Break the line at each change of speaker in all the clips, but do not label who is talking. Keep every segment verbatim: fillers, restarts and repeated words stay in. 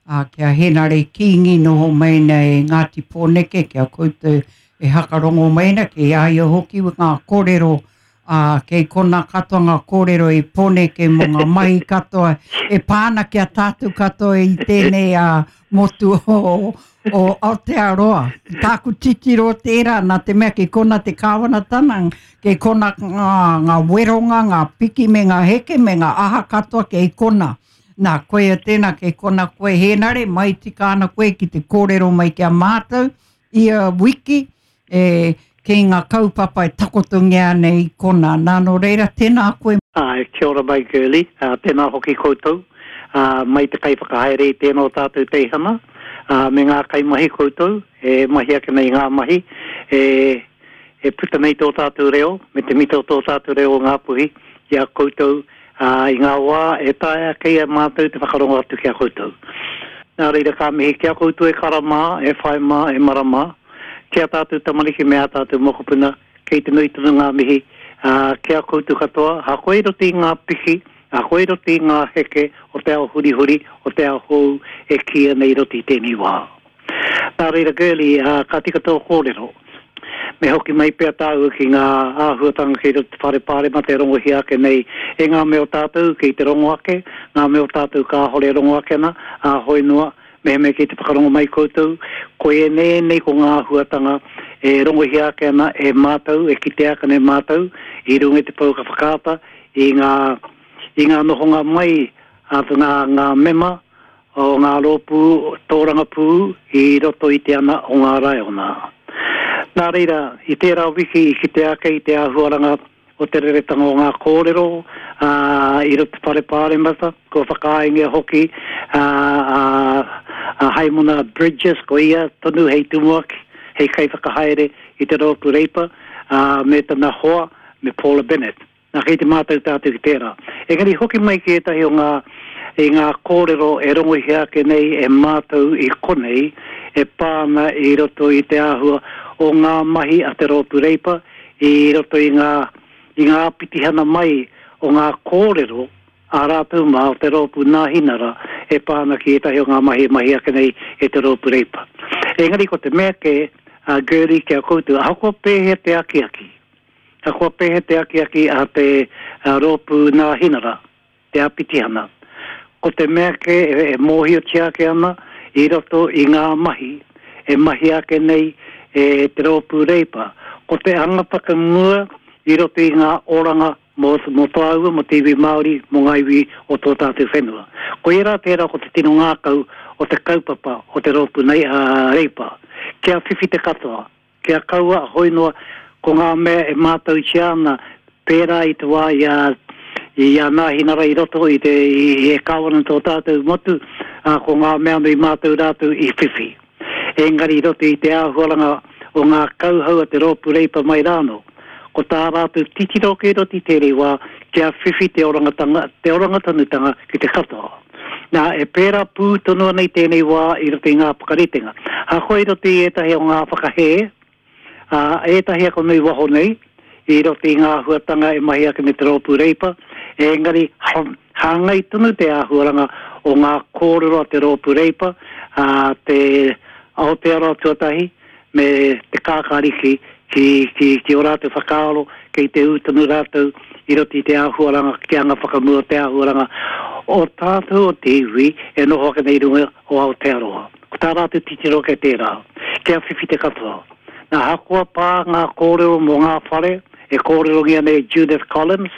ā, ki a Henare Kingi noho mai nei e Ngāti Pōneke, ki a koutou e hakarongo mai ana, kei a ia hoki ngā kōrero, ā, kei kona katoa ngā kōrero i Pōneke mō ngā mahi katoa e pā ana ki a tātou katoa i tēnei ā, motu o, o Aotearoa. Tāku titiro tērā, nā te mea kei kona te kāwanatanga, kei kona ngā, ngā weronga, ngā piki me ngā heke me ngā aha katoa kei kona. Nā, koia tēnā, kei kona koe Hēnare, mai tika ana koe ki te kōrero mai ki a mātou ia wiki, e, kei ngā kaupapa e takotongia ana i kona. Nā, nō reira, tēnā koe.
Āe, kia ora mai Girlie, ā, tēnā hoki koutou, ā, mai te kaiwhakahaere i tēnā o tātou teihana, ā, me ngā kaimahi koutou e mahi ake nei i ngā mahi, e, e puta nei tō tātou reo, me te mita o tō tātou reo o Ngāpuhi ki a koutou, ā, i ngā wā e taea kei a mātou te whakarongo atu ki a koutou. Nā reira ka mihi ki a koutou e kara mā, e whai mā, e mara mā, ki a tātou tamariki me ā tātou mokopuna, kei te nui tonu ngā mihi, ā, ki a koutou katoa, ahakoa i roto i ngā piki, ahakoa i roto i ngā heke o te ao hurihuri, o te ao hou e kīia nei i roto i tēnei wā. Nā reira Girlie, ā, ka tika tō kōrero. Me hoki mai pea tāua ki ngā āhuatanga kei roto i te whare pāremata e rongohia ake nei e ngā mea o tātou kei te rongo ake, ngā mea o tātou kāhore e rongo ake ana, ā, hoi noa, mehemea kei te whakarongo mai koutou, ko ēnei ēnei ko ngā āhuatanga e rongohia ake ana e mātou, e kitea ake ana e mātou i runga i te pouaka whakaata i ngā, i ngā nohonga mai a ngā, ngā mema o ngā rōpū tōrangapū i roto i te ana o ngā raiona. Nā reira, i tērā wiki i kitea ake i te āhuaranga o te reretanga o ngā kōrero, ā, i roto te Whare Pāremata, kua whakaaengia hoki a, a, a Haimona Bridges, ko ia tonu hei tumuaki, hei kaiwhakahaere i te Rōpū Reipa, ā, me tana hoa, me Paula Bennett. Nā, kei te mātau tātou ki tērā. Engari hoki mai ki ētahi o ngā, i ngā kōrero e rongohia ake nei e mātou i konei e pā ana i roto i te āhua o ngā mahi a te Rōpū Reipa i roto i ngā, i ngā āpitihana mai o ngā kōrero a rātou mā o te Rōpū Nāhinara e pā ana ki ētahi o ngā mahi e mahi ake nei e te Rōpū Reipa. Engari ko te mea kē, a Girlie, ki a koutou, ahakoa pēhea te akiaki, ahakoa pēhea te akiaki a te Rōpū Nāhinara, te āpitihana, ko te mea kē e mōhiotia ake ana i roto i ngā mahi e mahia ake nei e te Rōpū Reipa, ko te anga whakamua i roto i ngā oranga mō, mō tāua, mō te iwi Māori, mō ngā iwi o tō tātou whenua. Koirā tērā ko te tino ngākau o te kaupapa o te Rōpū nei, a Reipa, kia whiwhi te katoa, Kia kaua a Hoinoa ko ngā mea e mātautia ana pērā i te wā i a i a Nāhinara i roto i te i e kāwana tō tātou motu, ā, ko ngā mea anō i mātau rātou i whiwhi. Engari i roto i te āhuaranga o ngā kauhau a te Rōpū Reipa mai rānō, ko tā rātou titiro kei roto i tērei wā kia whiwhi te orangatanga, te orangatonutanga ki te katoa. Nā, e pērā pū tonu ana i tēnei wā i roto i ngā whakaritenga. Ahakoa i roto i ētahi o ngā whakahē, ā, ētahi ako nui waho nei, i roto i ngā āhuatanga e mahi ake nei te Rōpū Reipa, engari hāngai tonu te āhuaranga o ngā kōrero a te Rōpū Reipa, ā, te Aotearoa tuatahi, me te kākāriki ki, ki, ki ō rātou whakaaro kei te ū tonu rātou i roto i te āhuaranga ki te anga whakamua o te āhuaranga o tātou o te iwi e noho ake nei i runga o Aotearoa. Ko tā rātou titiro kei tērā, kia whiwhi te katoa. Nā, ahakoa pā ngā kōrero mō ngā whare e kōrerongia nei e Judith Collins,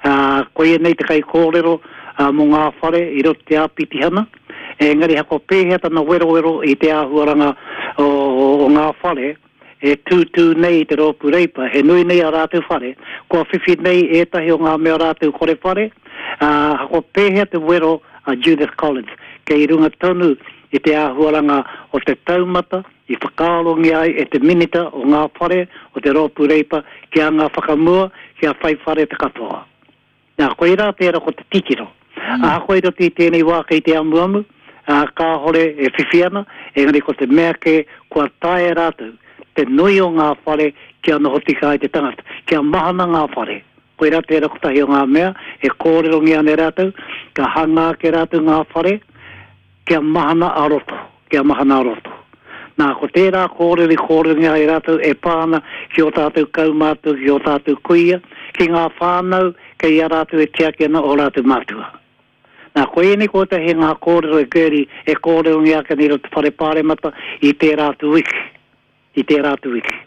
ā, koia nei te kaikōrero mō ngā whare i roto i te āpitihana, engari ahakoa pēhea tana werowero i te āhuaranga o ngā whare e tūtū nei i te Rōpū Reipa, he nui nei ā rātou whare, kua whiwhi nei ētahi o ngā mea rātou kore whare, ā, ahakoa pēhea te wero a Judith Collins, kei runga tonu i te āhuaranga o te taumata i whakaarongia ai e te Minita o ngā Whare o te Rōpū Reipa kia anga whakamua, kia whai whare te katoa. Nā, koirā tērā ko te titiro. Ahakoa i roto i tēnei wā kei te amuamu, ā, kāhore e whiwhi ana, engari ko te mea kē kua taea e rātou te nui o ngā whare kia noho tika ai te tangata, kia mahana ngā whare. Koirā tērā kotahi o ngā mea e kōrerongia ana e rātou, ka hangā ake rātou ngā whare, Kia mahana a roto, kia mahana a roto. Nā, ko tērā kōrero i kōrerongia ai rātou e pā ana ki ō tātou kaumātua, ki ō tātou kuia, ki ngā whānau kei a rātou e tiaki ana ō rātou mātua. Nā, ko ēnei kotahi ngā kōrero e Gertie e kōrerongia ake nei i roto whare pāremata i tērā atu wiki, i tērā atu wiki.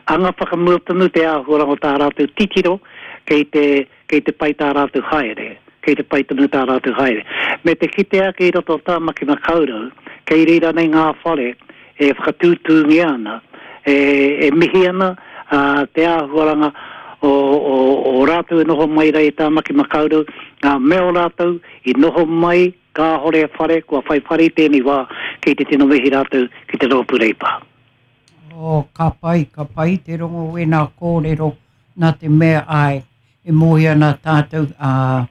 Anga whakamua tonu te āhuaranga o tā rātou titiro kei te, kei te pai tā rātou haere, kei te pai tonu tā rātou haere. Me te kite ake i roto o Tāmaki Makaurau, kei reira nei ngā whare e whakatūtūngia ana, e, e mihi ana a, te āhuaranga o, o, o rātou e noho mai rā i Tāmaki Makaurau, ngā mea o rātou i noho mai kāhore e whare, kua whai whare i tēnei wā, kei te tino mihi rātou ki te rōpū Reipa.
Oh, ka pai, ka pai te rongo wēnā kōrero nā te mea ai, e mōhio ana tātou a,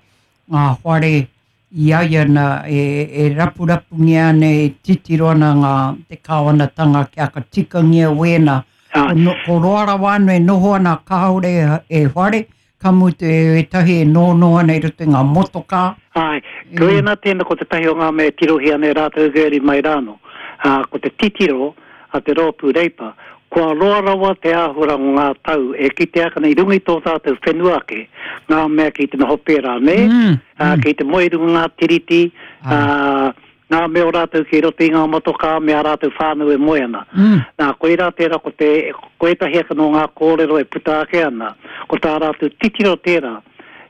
ngā whare i a ia na e, e rapurapungia ana, e titiro ana ngā te kāwanatanga kia ka tikangia wēnā.
Ah.
Ko, no, ko roa rawa anō e noho ana kāore e whare, ka mutu e ētahi e nono ana i roto i ngā motokā.
Ai, ko ēnā tēnā ko tētahi o ngā mea e tirohia ana e rātou Gertie mai rānō. Ā, ko te titiro a te rōpū Reipa, kua roa rawa te āhuaranga o ngā tau e kitea ake ana i runga i tō tātou whenua ake, ngā mea kei te noho pērā, nē?
Mm,
Ā, kei te moe i runga ngā tiriti, ā, ngā mea o rātou kei roto i ngā motokā me ā rātou whānau e moe ana.
Mm.
Nā, koirā tērā ko te, ko ētahi ake nō ngā kōrero e puta ake ana, ko tā rātou titiro tērā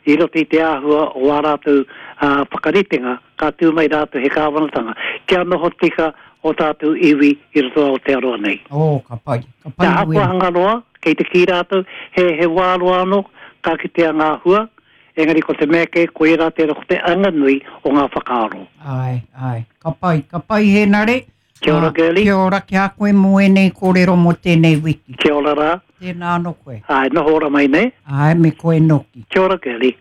i roto i te āhua o ā rātou ā, whakaritenga, ka tū mai rātou he kāwanatanga, kia noho tika o tātou iwi i roto o Aotearoa nei.
Oh, ka pai, ka pai
Te ahakoa
wēnā.
hanga roa, kei te kī rātou, he, he wā roa anō, ka kitea ngā hua, engari ko te mea kē, koirā tērā ko te anganui o ngā whakaaro.
Ai, ai, ka pai, ka pai Hēnare.
Kia ora,
Ā,
Girlie.
Kia ora ki a koe mō ēnei kōrero mō tēnei wiki.
Kia ora rā.
Tēnā anō koe.
Ai, noho ora mai nei.
Ai, me koe noki.
Kia ora, Girlie.